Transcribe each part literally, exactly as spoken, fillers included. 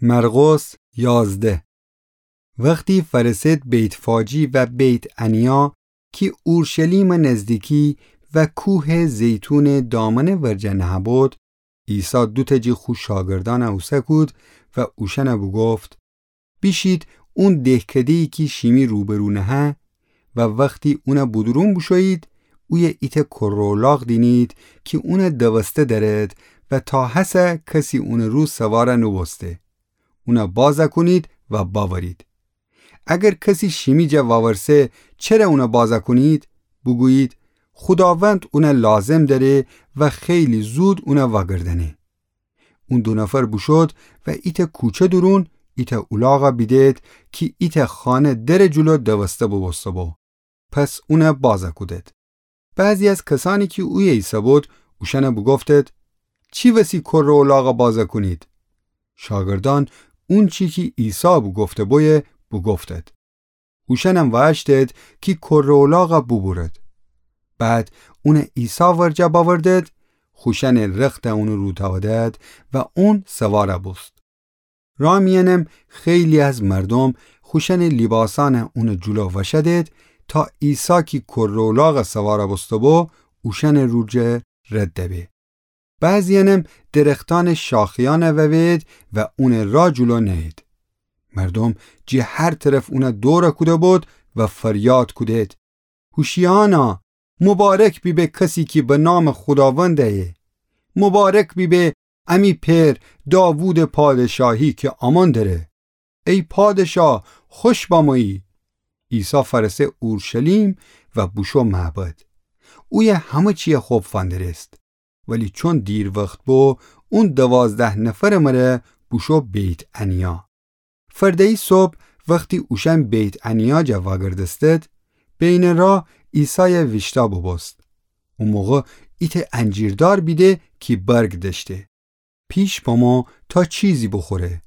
مرقس یازده. وختی فرسد بیت‌فاجی و بیت‌عنیا کی اورشلیمٚ نزدیکی و کوهٚ زیتونٚ دامنٚ ورجه نهه‌بود، عیسی دوتأ جٚه خو شاگردأن اوسه کود و اوشأن بوگفت: بیشید اون دهکده‌یی کی شیمی روبرو نهه و وختی اون بودورون بوشویید، اویه ایتأ کره الاغ دینید کی اون دوسته دأرد و تا هسه کسی اونٚ رو سوار نوبوسته. اون باز کونید و بأورید. اگر کسی شیمی جا وأورسه چره اون باز کونید، بوگویید: خوداوند اون لازم دأره و خیلی زود اون وأگردأنه. اون دو نفر بوشود و ایتأ کوچه دورون ایتأ اولاغ بیدید کی ایتأ خانه درٚ جلو دوسته بوبوسته بو. پس اون باز کودید. بعضی از کسأنی کی اویه ایسه‌بود، اوشأن بوگفتید: چی وسی کره الاغ باز کونید؟ شاگردأن اونچی کی عیسی بوگفته بویه بوگفتید. اوشأنم وأشتید کی کره الاغ بوبورید. بعد اون عیسی ورجه بأوردید، خوشأنٚ رخت اونٚ رو تأودید و اون سوار بوست. راه میأنم خیلی از مردوم خوشأنٚ لیباسأن اونٚ جلو وأشأدید تا عیسی کی کره الاغ سوار بوسته بو، اوشأنٚ رو جا رد به. بعضیأنم درختأنٚ شاخه‌یأن ووهید و اونٚ راه جلو نأیید. مردوم جٚه هر طرف اون دور کوده‌بود و فریاد کودید: هوشیعانا، مبارک بیبه کسی کی به نامٚ خوداوند ایه. مبارک بیبه امی پئر داوودٚ پادشاهی کی آمون دره. ای پادشاه، خوش بمویی. عیسی فأرسه اورشلیم و بوشو معبد. اویه همه چیه خب فندرست. ولی چون دیر وخت بو، اون دوازده نفرٚ مره بوشو بیت‌عنیا. فرده‌یی صبح وختی اوشأن بیت‌عنیا جا وأگردستید، بینٚ راه عیسای ویشتأ بوبوست. او موقع ایتأ انجیردار بیده کی برگ دأشته. پیش بامو تا چیزی بوخوره.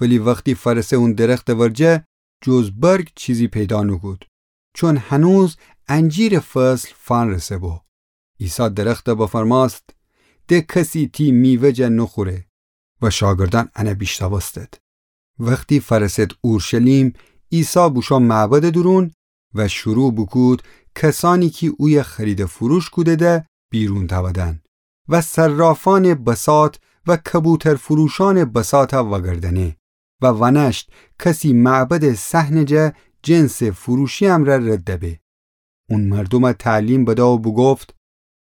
ولی وختی فأرسه اون درختٚ ورجه، جز برگ چیزی پیدا نوکود، چون هنوز انجیرٚ فصل فنرسه بو. عیسی درخت بفرمأست: د کسی تی میوه جا نوخوره. و شاگردأن ان بیشنوستید. وختی فأرسد اورشلیم، عیسی بوشو معبدٚ دورون و شروع بوکود کسأنی کی اویه خرید و فروش کودیدی بیرون تأودن و صرافأنٚ بساط و کبوترفروشأنٚ بساطَ وأگردأنه و وأنشت کسی معبدٚ صحنٚ جا جنسٚ فروشی امرأ رد به. اون مردومَ تعلیم بده و بوگفت: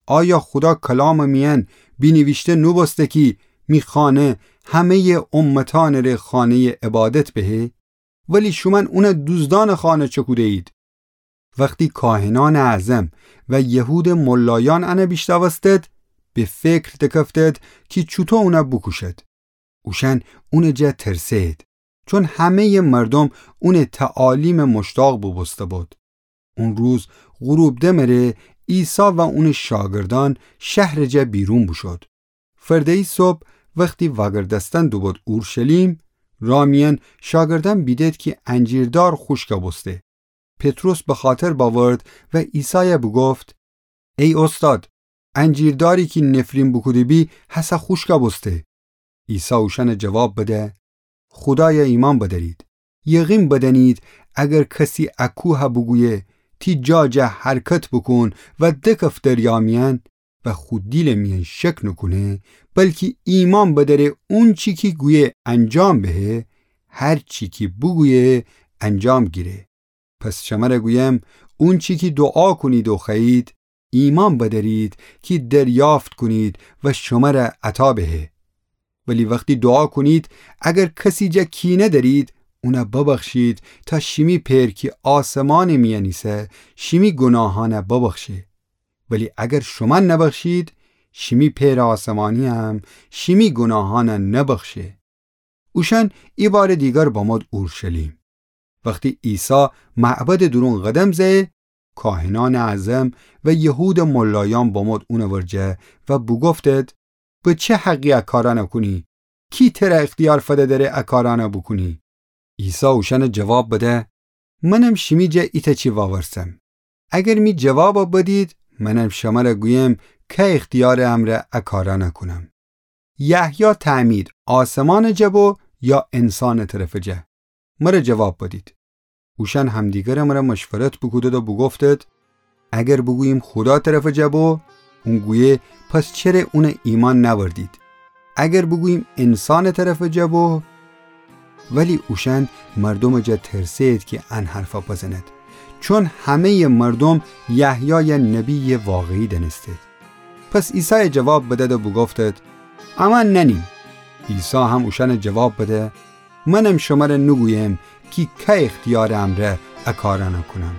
آیا خودا کلامٚ میأن بینیویشته نوبوسته کی می خانه همه‌یٚ امتأنٚ ره خانه‌یٚ عبادت بهه؟ ولی شومأن اونَ دوزدأنٚ خانه چکوده‌یید. وختی کاهنأنٚ اعظم و یهودٚ ملایأن انَ بیشنوستد، به فکر دکفتد کی چوطو اونَ بوکوشد. اوشأن اونٚ جا ترسه‌یید، چون همه‌یٚ مردوم اونٚ تعالیمَ مشتاق بوبوسته‌بود. اون روز غروب دمٚ ره عیسی و اونٚ شاگردأن شهرٚ جا بیرون بوشود. فرده‌یی صبح وختی وأگردستن دوبود اورشلیم، راه میأن شاگردأن بیدد کی انجیردار خوشکَ بوسته. پطرس بخاطر بأورد و عیسایَ بوگفت: ای اوستاد، انجیرداری کی نفرین بوکوده‌بی هسه خوشکَ بوسته. عیسی اوشأنَ جواب بده: خودایَ ایمأن بدأرید. یقین بدأنید اگر کسی ا کوهَ بوگویه: تی جا جا حرکت بوکون و دکف دریا میأن، و خو دیلٚ میأن شک نوکونه، بلکی ایمأن بدأره اونچی کی گویه انجام بهه، هرچی کی بوگویه انجام گیره. پس شمرَ گویم، اونچی کی دوعا کونید و خوأیید، ایمأن بدأرید کی دریافت کونید و شمرَ عطا بهه. ولی وختی دوعا کونید، اگر کسی جا کینه دأرید، اونَ ببخشید تا شیمی پئر کی آسمانٚ میأن ایسه شیمی گوناهأنَ ببخشه. ولی اگر شومأن نبخشید، شیمی پئرٚ آسمانی‌یم شیمی گوناهأنَ نبخشه. اوشأن ایبارٚ دیگر بمود اورشلیم. وختی عیسی معبدٚ دورون قدم زأیه، کاهنأنٚ اعظم و یهودٚ ملایأن بمود اونٚ ورجه و بوگفتد: به چه حقی ا کارأنَ کونی؟ کی ترَ اختیار فده دأره ا کارأنَ بوکونی؟ عیسی اوشأنَ جواب بده: منم شیمی جا ایتأ چی وأورسم. اگر می جوابَ بدید، منم شمرَ گویم کی اختیارٚ امرأ ا کارأنَ کونم. یحیی تعمید آسمانٚ جا بو، یا انسانٚ طرفٚ جا؟ مره جواب بدید. اوشأن همدیگرٚ مره مشورت بوکودد و بوگفتد: اگر بوگوییم خودا طرفٚ جا بو، اون گویه: پس چره اون ایمأن نأوردید؟ اگر بوگوییم انسانٚ طرفٚ جا بو؟ ولی اوشأن مردومٚ جا ترسه‌ید کی ان حرفه بزند، چون همه‌یٚ مردوم یحیایَ نبییٚ واقعی دأنستید. پس عیسای جواب بدد و بوگفتد: امأن نأنیم. عیسی هم اوشأنَ جواب بده: منم شمره نوگویم کی که اختیارٚ امرأ ا کارأنَ کونم.